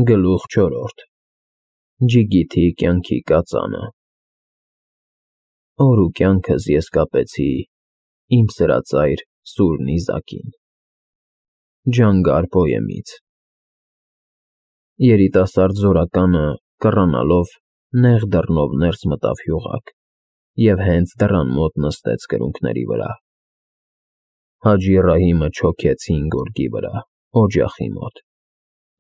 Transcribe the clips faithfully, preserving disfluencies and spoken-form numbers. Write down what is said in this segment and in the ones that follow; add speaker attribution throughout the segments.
Speaker 1: Գլուխ չորրորդ Ջիգիթի կյանքի կածանը Օր ու կյանքս ես կապեցի իմ սրածայր սուր նիզակին։ Ջանգար պոեմից Երիտասարդ զորականը կռանալով նեղ դռնով ներս մտավ յուղակ և հենց դռան մոտ նստեց կրունկների վրա։ Հաջի Ռահիմը չոքեց հին գորգի վրա, օջախի մոտ,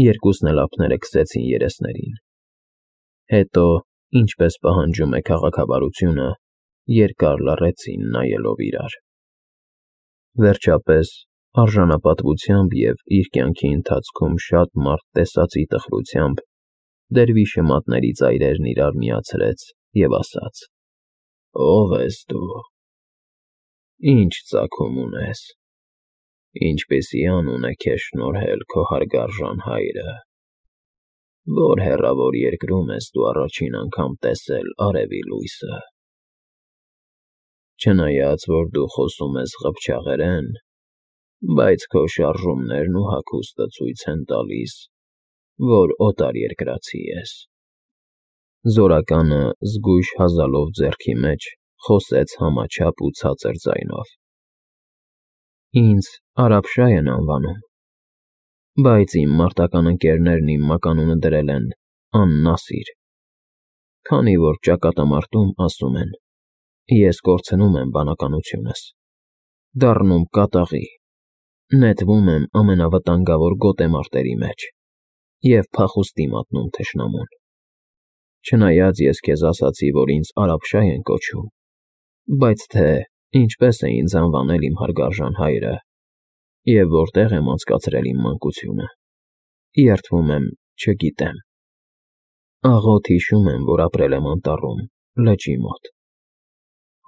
Speaker 1: երկուսն էլ ափները քսեցին երեսներին, հետո, ինչպես պահանջում է քաղաքավարությունը, երկար լռեցին նայելով իրար։ Վերջապես, արժանապատվությամբ և իր կյանքի ընթացքում շատ մարդ տեսածի տխրությամբ, դերվիշը մատների ծայրերն իրար միացրեց և ասաց. «Ո՞վ ես դու, ի՞նչ ծագում ունես, ինչպիսի անուն է քեզ շնորհել քո հարգարժան հայրը, որ հեռավոր երկրում ես դու առաջին անգամ տեսել արևի լույսը։ Չնայած, որ դու խոսում ես ղփչաղերեն, բայց քո շարժումներն ու հագուստը ցույց են տալիս, որ օտարերկրացի ես»։ Զորականը զգույշ հազալով ձեռքի մեջ խոսեց համաչափ ու ցածր ձայնով. «Ինձ Արաբշա են անվանում, բայց իմ մարտական ընկերներն իմ մականունը դրել են Ան֊Նասիր, քանի որ ճակատամարտում ասում են, ես կորցնում եմ բանականությունս, դառնում կատաղի, նետվում եմ ամենավտանգավոր գոտեմարտերի մեջ և փախուստի մատնում թշնամուն։ Չնայած ես քեզ ասացի, որ ինձ Արաբշա են կոչում, բայց թե ինչպես է ինձ անվանել իմ հարգարժան հայրը և որտեղ եմ անցկացրել իմ մանկությունը, երդվում եմ չգիտեմ։ Աղոտ հիշում եմ, որ ապրել եմ անտառում, լճի մոտ,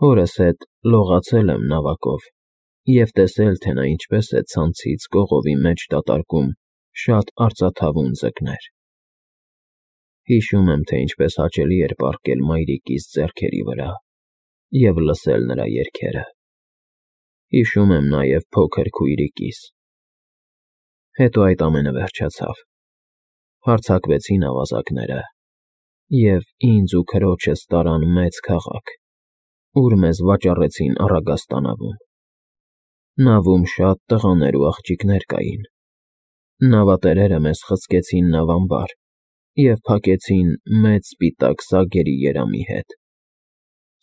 Speaker 1: հորս հետ լողացել եմ նավակով և տեսել, թե նա ինչպես է ցանցից կողովի մեջ դատարկում շատ արծաթավուն ձկներ։ Հիշում եմ, թե ինչպես հաճելի էր պառկել մայրիկիս ձեռքերի վրա և լսել նրա երգերը։ Հիշում եմ նաև փոքր քույրիկիս։ Հետո այդ ամենը վերջացավ, հարձակվեցին ավազակները և ինձ ու քրոջս տարան մեծ քաղաք, ուր մեզ վաճառեցին առագաստանավում։ Նավում շատ տղաներ ու աղջիկներ կային։ Նավատերերը մեզ խցկեցին նավամբար և փակեցին մեծ սպիտակ սագերի երամի հետ։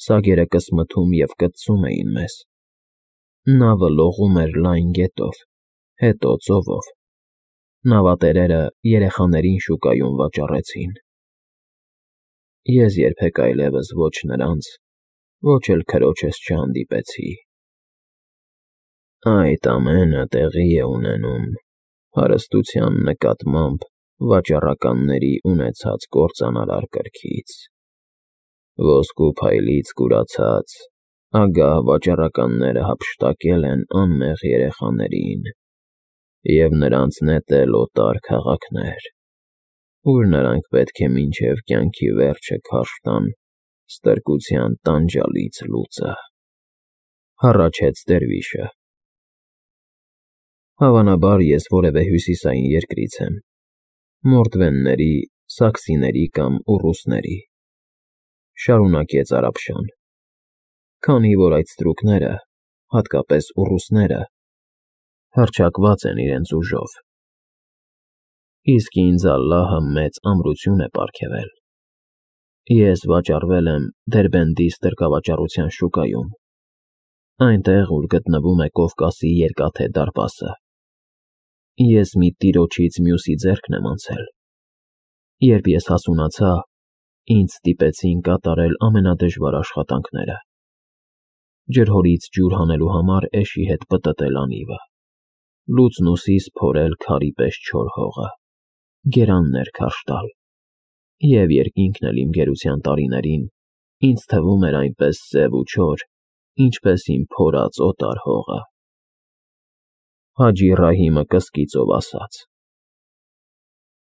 Speaker 1: Սագերը կսմթում և կծում էին մեզ։ Նավը լողում էր լայն գետով, հետո ծովով։ Նավատերերը երեխաներին շուկայում վաճառեցին։ Ես երբեք այլևս ոչ նրանց, ոչ էլ քրոջս չհանդիպեցի։ Այդ ամենը տեղի է ունենում հարստության նկատմամբ վաճառականների ունեցած կործանարար կրքից։ Ոսկու փայլից կուրացած, ագահ վաճառականները հափշտակել են անմեղ երեխաներին և նրանց նետել օտար քաղաքներ, ուր նրանք պետք է մինչև կյանքի վերջը քարշ տան ստրկության տանջալից լուծը», ֊ հառաչեց դերվիշը։ Հավանաբար ես որևէ հյուսիսային երկրից եմ, մորդվենների, սաքսիների կամ ուռուսների, ֊ շարունակեց Արաբշան, քանի որ այդ ստրուկները, հատկապես ուռուսները, հռչակված են իրենց ուժով։ Իսկ ինձ ալլահը մեծ ամրություն է պարգևել։ Ես վաճառվել եմ Դերբենդի ստրկավաճառության շուկայում, այնտեղ, ուր գտնվում է Կովկասի Երկաթե դարպասը։ Ես մի տիրոջից մյուսի ձեռքն եմ անցել։ Երբ ես հասունացա, ինձ ստիպեցին կատարել ամենադժվար աշխատանքները. ջրհորից ջուր հանելու համար էշի հետ պտտել անիվը, լուցնուսիս փորել քարի պես չոր հողը, գերաններ քարշ տալ, և երկինքն էլ իմ գերության տարիներին ինձ թվում էր այնպես սև ու չոր, ինչպես իմ փորած օտար հողը։ Հաջի Ռահիմը կսկիծով ասաց.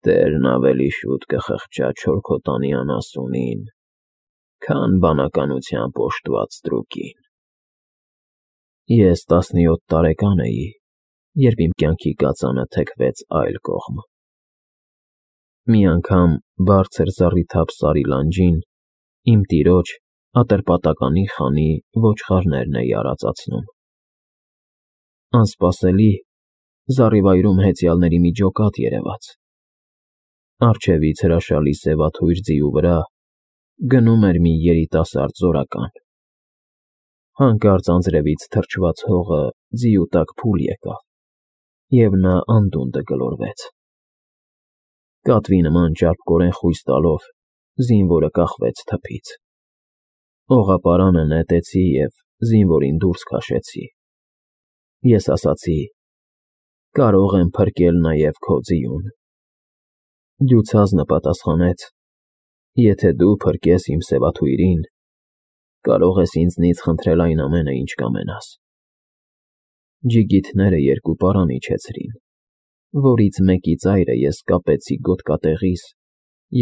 Speaker 1: «Տերն ավելի շուտ կխղճա չորքոտանի անասունին, քան բանականությամբ օժտված ստրուկին»։ Ես տասնյոթ տարեկան էի, երբ իմ կյանքի կածանը թեքվեց այլ կողմ։ Մի անգամ բարձր զառիթափ սարի լանջին իմ տիրոջ ատրպատականի խանի ոչխարներն էի արածացնում։ Անսպասելի, զառիվայրում հեծյալների մի ջոկատ երևաց։ Առջևից հրաշալի սևաթույր ձիու վրա գնում էր մի երիտասարդ զորական։ Հանկարծ անձրևից թրջված հողը ձիու տակ փուլ եկավ, և նա անդունդը գլորվեց։ Կատվի նման ճարպկորեն խույս տալով զինվորը կախվեց թփից։ Օղապարանը նետեցի և զինվորին դուրս քաշեցի։ Ես ասացի. «Կարող եմ փրկել նաև քո ձիուն»։ Դյուցազնը պատասխանեց. «Եթե դու փրկես իմ սևաթույրին, կարող ես ինձնից խնդրել այն ամենը, ինչ կամենաս»։ Ջիգիթները երկու պարան իջեցրին, որից մեկի ծայրը ես կապեցի գոտկատեղիս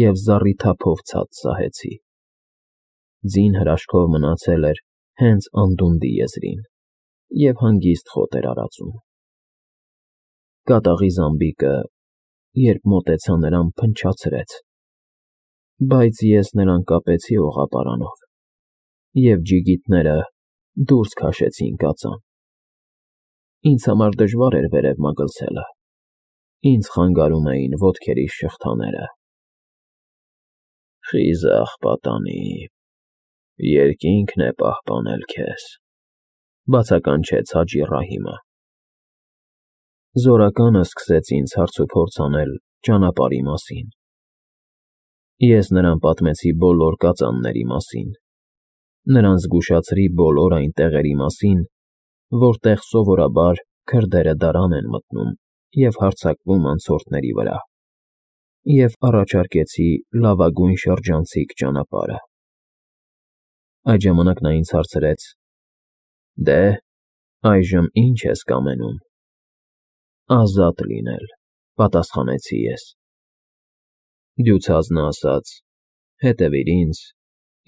Speaker 1: և զառիթափով ցած սահեցի։ Ձին հրաշքով մնացել էր հենց անդունդի եզրին և հանգիստ խոտ էր արածում։ Կատաղի զամբիկը, երբ մոտեցա նրան, փնչացրեց, բայց ես նրան կապեցի օղապարանով, և ջիգիտները դուրս քաշեցին կածան։ Ինձ համար դժվար էր վերև մագլցելը, ինձ խանգարում էին ոտքերիս շղթաները։ «Խիզախ պատանի, երկինքն է պահպանել քեզ», բացականչեց Հաջի Ռահիմը։ Զորականը սկսեց ինձ հարցուփորձ անել ճանապարհի մասին։ Ես նրան պատմեցի բոլոր կածանների մասին, նրան զգուշացրի բոլոր այն տեղերի մասին, որտեղ սովորաբար քրդերը դարան են մտնում և հարձակվում անցորդների վրա, և առաջարկեցի լավագույն շրջանցիկ ճանապարհը։ Այդ ժամանակ նա ինձ հարցրեց. «Դե, այժմ ի՞նչ ես կամենում»։ «Ազատ լինել», պատասխանեցի ես։ Դյուցազնը ասաց. «Հետևիր ինձ,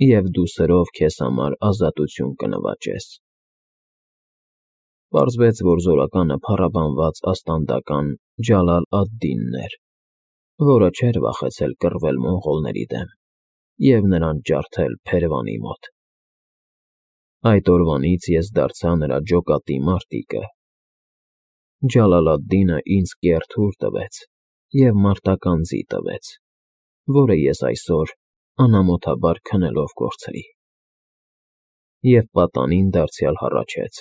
Speaker 1: և դու սրով քեզ համար ազատություն կնվաճես»։ Պարզվեց, որ զորականը փառաբանված աստանդական Ջալալ ալ-Դինն էր, որը չէր վախեցել կռվել մոնղոլների դեմ և նրանց ջարդել Փերվանի մոտ։ Այդ օրվանից ես դարձա նրա ջոկատի մարտիկը։ Ջալալ ալ-Դինը ինձ կեռ թուր տվեց և մարտական ձի տվեց, որը ես այսօր անամոթաբար քնելով կորցրի։ Եվ պատանին դարձյալ հառաչեց.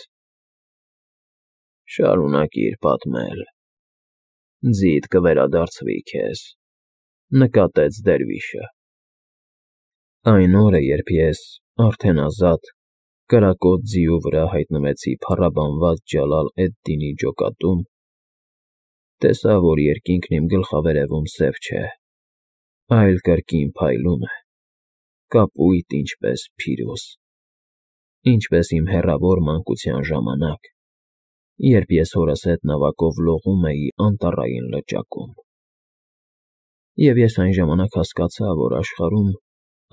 Speaker 1: «Շարունակիր պատմել, ձիդ կվերադարձվի քեզ», նկատեց դերվիշը։ Այն օրը, երբ ես, արդեն ազատ, կրակոտ ձիու վրա հայտնվեցի փառաբանված Ջալալ էդ֊Դինի ջոկատում, տեսա, որ երկինքն իմ գլխավերևում սև չէ, այլ կրկին փայլում է, կապույտ, ինչպես փիրուզ, ինչպես իմ հեռավոր մանկության ժամանակ, երբ ես հորս հետ նավակով լողում էի Անտառային լճակում։ Եվ ես այն ժամանակ հասկացա, որ աշխարհում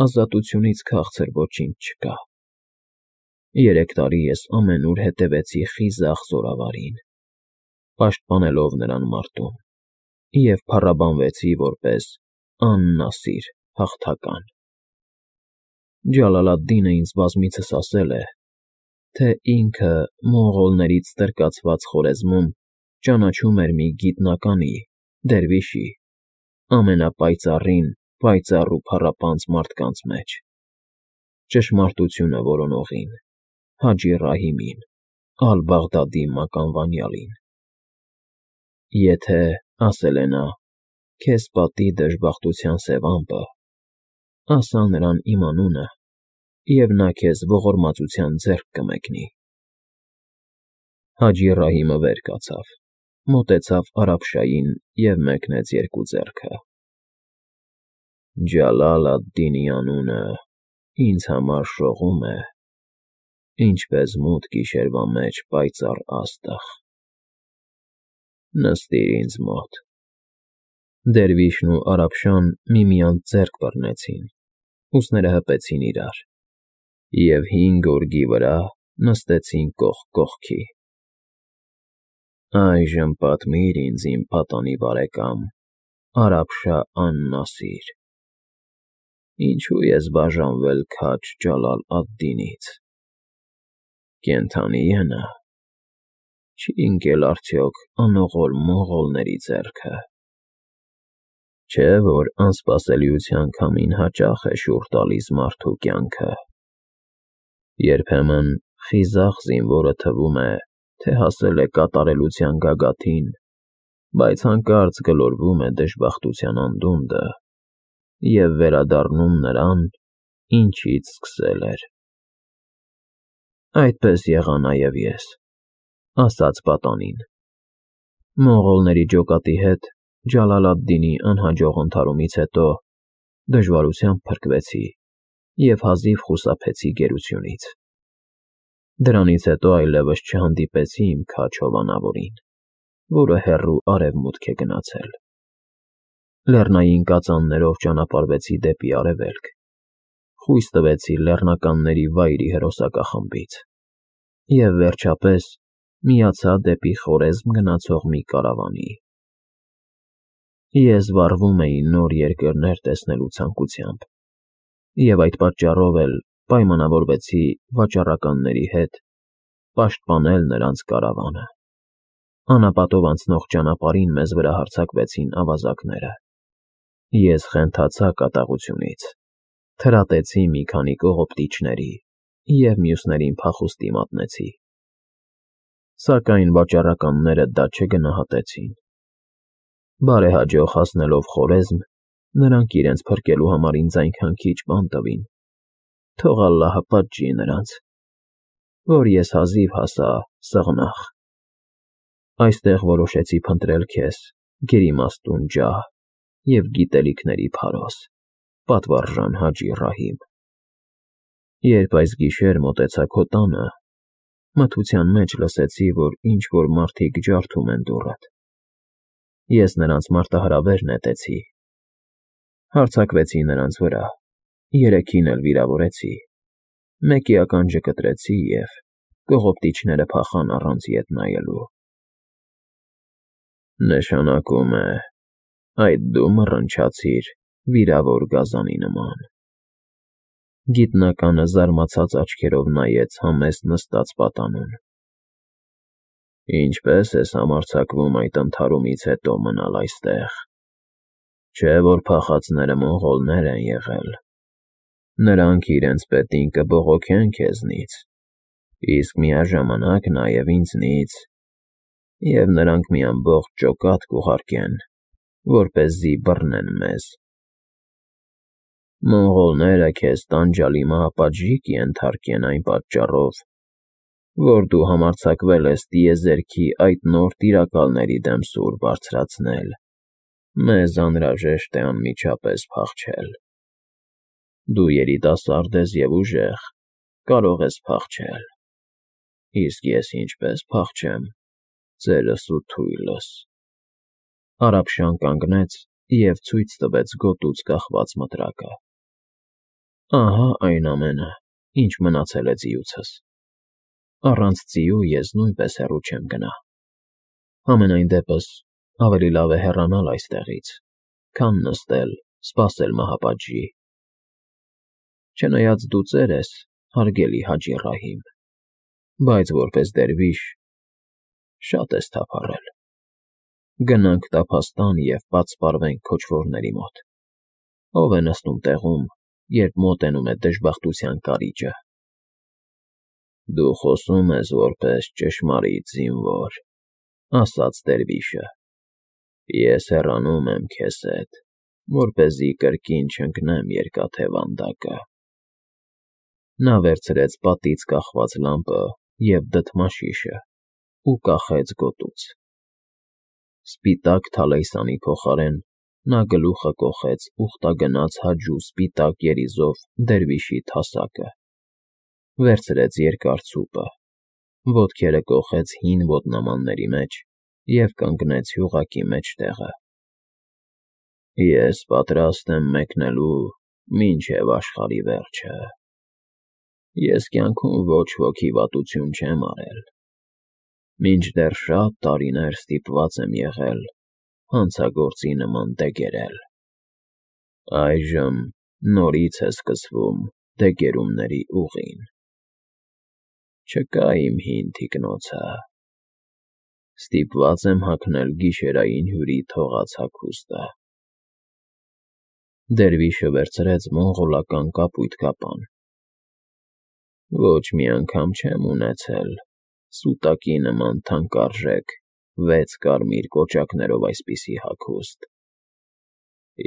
Speaker 1: ազատությունից քաղցր ոչինչ չկա։ Երեք տարի ես ամենուր հետևեցի խիզախ զորավարին, պաշտպանելով նրան մարտում, և փառաբանվեցի որպես աննասիր հաղթական։ Ջալալ ալ-Դինը ինձ բազմիցս ասել է, թե ինքը մոնղոլներից ստրկացված Խորեզմում ճանաչում էր մի գիտնականի, դերվիշի, ամենապայծառին պայծառ ու փառապանծ մարդկանց մեջ, ճշմարտությունը որոնողին, Հաջի Ռահիմին, Ալ֊Բաղդադի մականվանյալին։ «Եթե, — ասել է նա, — քեզ պատի դժբախտության սև ամպը, ասա նրան իմ անունը, և նա քեզ ողորմածության ձեռք կմեկնի»։ Հաջի Ռահիմը վեր կացավ, մոտեցավ Արաբշային և մեկնեց երկու ձեռքը։ «Ջալալ ալ-Դինի անունը ինձ համար շողում է, ինչպես մութ գիշերվա մեջ պայծառ աստղ։ Նստիր ինձ մոտ»։ Դերվիշն ու Արաբշան միմյանց ձեռք բռնեցին, ուսները հպեցին իրար, և հին գորգի վրա նստեցին կողք կողքի։ «Այժմ պատմիր ինձ, իմ պատանի բարեկամ, Արաբշա ան֊Նասիր։ Ինչու ես բաժանվել քաջ Ջալալ ալ-Դինից։ Կենդանի է նա։ Չի ընկել արդյոք անողոլ մոնղոլների ձեռքը։ Չէ՞ որ անսպասելիության քամին հաճախ է շուռ տալիս մարդու կյանքը։ Երբեմն խիզախ զինվորը թվում է, թե հասել է կատարելության գագաթին, բայց հանկարծ գլորվում է դժբախտության անդունդը և վերադառնում նրան, ինչից սկսել էր։ Այդպես եղա նաև ես, ասաց պատանին։ Մոնղոլների ջոկատի հետ Ջալալ ալ-Դինի անհաջող ընդհարումից հետո դժվարությամբ փրկվեցի և հազիվ խուսափեցի գերությունից։ Դրանից հետո այլևս չհանդիպեցի իմ քաջ հովանավորին, որը հեռու արևմուտք է գնացել։ Լեռնային կածաններով ճանապարհվեցի դեպի արևելք, խույս տվեցի լեռնականների վայրի հերոսակախմբից և, վերջապես, միացա դեպի Խորեզմ գնացող մի կարավանի։ Ես վառվում էի նոր երկրներ տեսնելու ցանկությամբ և այդ պատճառով էլ պայմանավորվեցի վաճառականների հետ պաշտպանել նրանց կարավանը։ Անապատով անցնող ճանապարհին մեզ վրա հարձակվեցին ավազակները։ Ես խենթացա կատաղությունից, թրատեցի մի քանի կողոպտիչների և մյուսներին փախուստի մատնեցի։ Սակայն վաճառականները դա չգնահատեցին։ Բարեհաջող հասնելով Խորեզմ, նրանք իրենց փրկելու համար ինձ այնքան քիչ բան տվին, թող ալլահը պատժի նրանց, որ ես հազիվ հասա Սեղնաղ։ Այստեղ որոշեցի փնտրել քեզ, գերիմաստուն ջահ և գիտելիքների փարոս, պատվարժան Հաջի Ռահիմ։ Երբ այս գիշեր մոտեցա քո տանը, մթության մեջ լսեցի, որ ինչ֊որ մարդիկ ջարդում են դուռդ։ Ես նրանց մարտահրավեր նետեցի, հարձակվեցի նրանց վրա, երեքին էլ վիրավորեցի, մեկի ականջը կտրեցի և կողոպտիչները փախան առանց ետ նայելու։ Նշանակում է, այդ դու մռնչացիր վիրավոր գազանի նման։ Գիտնականը զարմացած աչքերով նայեց համեստ նստած պատանուն։ Ինչպե՞ս ես համարձակվում այդ ընդհարումից հետո մնալ այստեղ։ Չէ՞ որ փախածները մոնղոլներ են եղել։ Նրանք իրենց պետին կբողոքեն քեզնից, իսկ միաժամանակ նաև ինձնից, և նրանք մի ամբողջ ջոկատ կուղարկեն, որպեսզի բռնեն մեզ։ Մոնղոլները քեզ տանջալի մահապատժի կենթարկեն այն պատճառով, որ դու համարձակվել ես տիեզերքի այդ նոր տիրակալների դեմ սուր բարձրացնել, մեզ անհրաժեշտ է անմիջապես փախչել։ Դու երիտասարդ ես և ուժեղ, կարող ես փախչել, իսկ ես ինչպե՞ս փախչեմ, ծերս ու թույլս։ Արաբշան կանգնեց և ցույց տվեց գոտուց կախված մտրակը։ Ահա այն ամենը, ինչ մնացել է ձիուցս։ Առանց ձիու ես նույնպես հեռու չեմ գնա։ Համենայն դեպս, ավելի լավ է հեռանալ այստեղից, քան նստել, սպասել մահապատժի։ Չնայած դու ծեր ես, հարգելի Հաջի Ռահիմ, բայց որպես դերվիշ շատ ես թափառել։ Գնանք տափաստան և պատսպարվենք քոչվորների մոտ, ով է նստում տեղում, երբ մոտենում է դժբախտության կարիճը։ Դու խոսում ես որպես ճշմարիտ զինվոր, ասաց դերվիշը։ Ես հեռանում եմ քեզ հետ, որպեսզի կրկին չընկնեմ Երկաթե Վանդակը։ Նա վերցրեց պատից կախված լամպը և դդմաշիշը ու կախեց գոտուց։ Սպիտակ թալեյսանի փոխարեն նա գլուխը կոխեց ուխտագնաց հաճու սպիտակ երիզով դերվիշի թասակը, վերցրեց երկար ցուպը, ոտքերը կոխեց հին ոտնամանների մեջ և կանգնեց յուղակի մեջտեղը։ Ես պատրաստ եմ մեկնելու մինչև աշխարհի վերջը։ Ես կյանքում ոչ ոքի վատություն չեմ արել, մինչդեռ շատ տարիներ ստիպված եմ եղել հանցագործի նման դեգերել։ Այժմ նորից է սկսվում դեգերումների ուղին։ Չկա իմ հին թիկնոցը։ Ստիպված եմ հագնել գիշերային հյուրի թողած հագուստը։ Դերվիշը վերցրեց մոնղոլական կապույտ կապան։ Ոչ մի անգամ չեմ ունեցել սուտակի նման թանկարժեք վեց կարմիր կոճակներով այսպիսի հագուստ։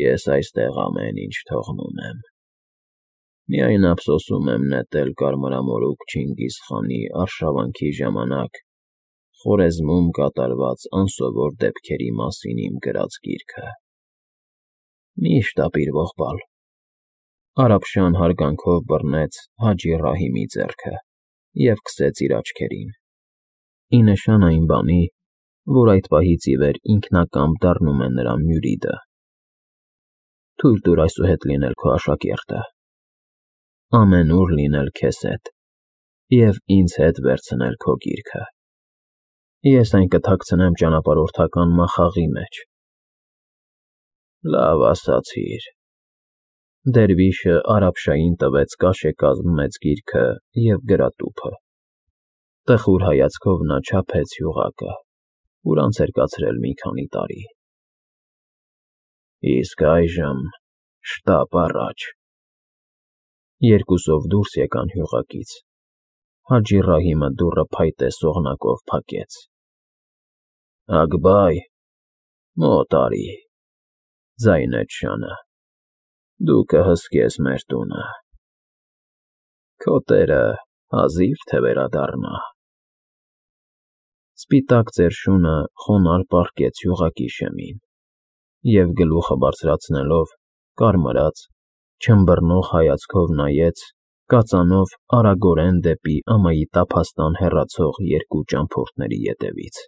Speaker 1: Ես այստեղ ամեն ինչ թողնում եմ։ Միայն ափսոսում եմ նետել կարմրամորուք Չինգիզխանի արշավանքի ժամանակ Խորեզմում կատարված անսովոր դեպքերի մասին իմ գրած գիրքը։ Մի՛ շտապիր, ողբալ,֊ Արաբշան հարգանքով բռնեց Հաջի Ռահիմի ձեռքը և քսեց իր աչքերին, ի նշան այն բանի, որ այդ պահից ի վեր ինքնակամ դառնում է նրա մյուրիդը։ Թույլ տուր այսուհետ լինել քո աշակերտը, ամենուր լինել քեզ հետ և ինձ հետ վերցնել քո գիրքը։ Ես այն կթաքցնեմ ճանապարհորդական մախաղի մեջ։ Լավ ասացիր։ Դերվիշը Արաբշային տվեց կաշեկազմ մեծ գիրքը և գրատուփը։ Տխուր հայացքով նա չափեց հյուղակը, ուր անց էր կացրել մի քանի տարի։ Իսկ այժմ շտապ առաջ։ Երկուսով դուրս եկան հյուղակից։ Հաջի Ռահիմը դուռը փայտե սողնակով փակեց։ Ակբայ, մոտ արի,֊ ձայնեց շանը,֊ դու կհսկես մեր տունը։ Քո տերը հազիվ թե վերադառնա։ Սպիտակ ծեր շունը խոնարհ պառկեց հյուղակի շեմին և, գլուխը բարձրացնելով, կարմրած, չըմբռնող հայացքով նայեց կածանով արագորեն դեպի ամայի տափաստան հեռացող երկու ճամփորդների ետևից։